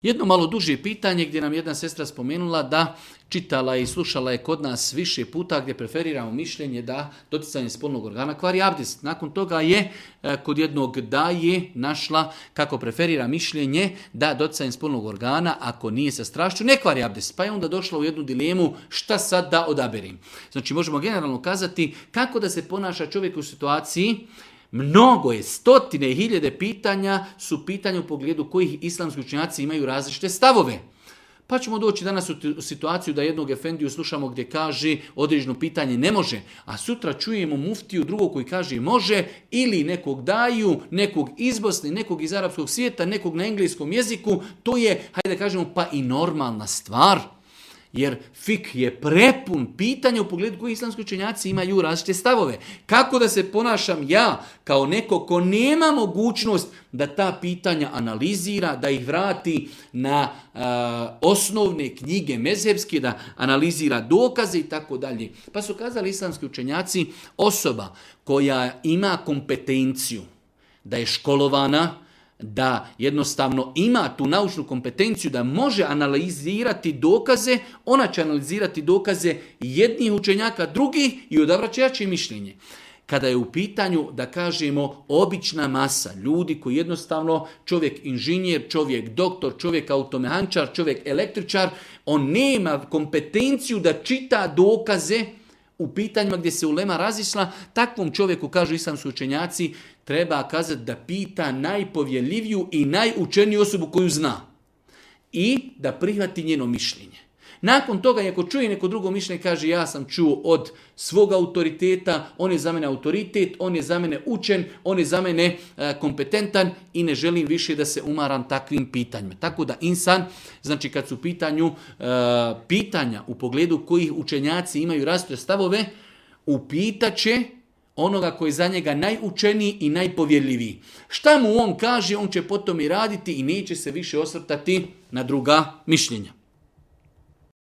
Jedno malo duže pitanje gdje nam jedna sestra spomenula da čitala i slušala je kod nas više puta gdje preferiramo mišljenje da doticanje spolnog organa kvari abdest. Nakon toga je kod jednog daje našla kako preferira mišljenje da doticanje spolnog organa ako nije sa strašću ne kvari abdest. Pa je onda došla u jednu dilemu šta sad da odaberim. Znači možemo generalno kazati kako da se ponaša čovjek u situaciji. Mnogo je, stotine i hiljade pitanja su pitanja u pogledu kojih islamski učenjaci imaju različite stavove. Pa ćemo doći danas u situaciju da jednog efendiju slušamo gdje kaže određeno pitanje ne može, a sutra čujemo muftiju drugog koji kaže može, ili nekog daju, nekog iz Bosne, nekog iz arapskog svijeta, nekog na engleskom jeziku. To je, hajde da kažemo, pa i normalna stvar. Jer fik je prepun pitanja u pogledu koji islamski učenjaci imaju različite stavove. Kako da se ponašam ja kao neko ko nema mogućnost da ta pitanja analizira, da ih vrati na osnovne knjige mezhebske, da analizira dokaze i tako dalje. Pa su kazali islamski učenjaci, osoba koja ima kompetenciju, da je školovana, da jednostavno ima tu naučnu kompetenciju da može analizirati dokaze, ona će analizirati dokaze jednih učenjaka, drugih i odabrat će jače mišljenje. Kada je u pitanju, da kažemo, obična masa ljudi koji jednostavno, čovjek inženjer, čovjek doktor, čovjek automehančar, čovjek električar, on nema kompetenciju da čita dokaze u pitanjima gdje se ulema razišla, takvom čovjeku, kažu islamski učenjaci, treba kazati da pita najpovjerljiviju i najučeniju osobu koju zna i da prihvati njeno mišljenje. Nakon toga, ako čuje neko drugo mišljenje, kaže ja sam čuo od svog autoriteta, on je za mene autoritet, on je za mene učen, on je za mene kompetentan i ne želim više da se umaram takvim pitanjima. Tako da insan, znači kad su u pitanju pitanja u pogledu kojih učenjaci imaju različite stavove, upitaće onoga koji je za njega najučeniji i najpovjerljiviji. Šta mu on kaže, on će potom i raditi i neće se više osvrtati na druga mišljenja.